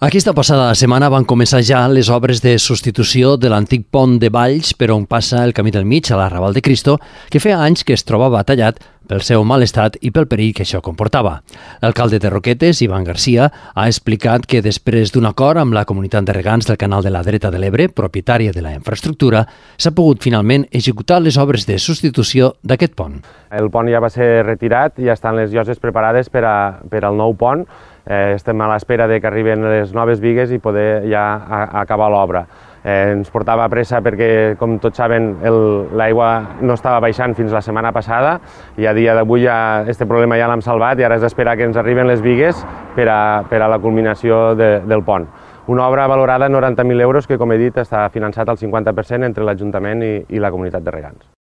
Aquesta passada setmana van començar ja les obres de substitució de l'antic pont de Valls per on passa el Camí del Mig a la Raval de Cristo, que feia anys que es trobava tallat pel seu mal estat i pel perill que això comportava. L'alcalde de Roquetes, Ivan Garcia, ha explicat que després d'un acord amb la comunitat de regants del Canal de la Dreta de l'Ebre, propietària de la infraestructura, s'ha pogut finalment executar les obres de substitució d'aquest pont. El pont ja va ser retirat i ja estan les lloses preparades per al nou pont. Estem a l'espera que arriben les noves bigues i poder ja acabar l'obra. Ens portava pressa perquè, com tots saben, l'aigua no estava baixant fins la setmana passada i a dia d'avui aquest problema ja l'hem salvat i ara és d'esperar que ens arriben les bigues per a la culminació del pont. Una obra valorada en 90.000 euros que, com he dit, està finançat al 50% entre l'Ajuntament i la comunitat de regants.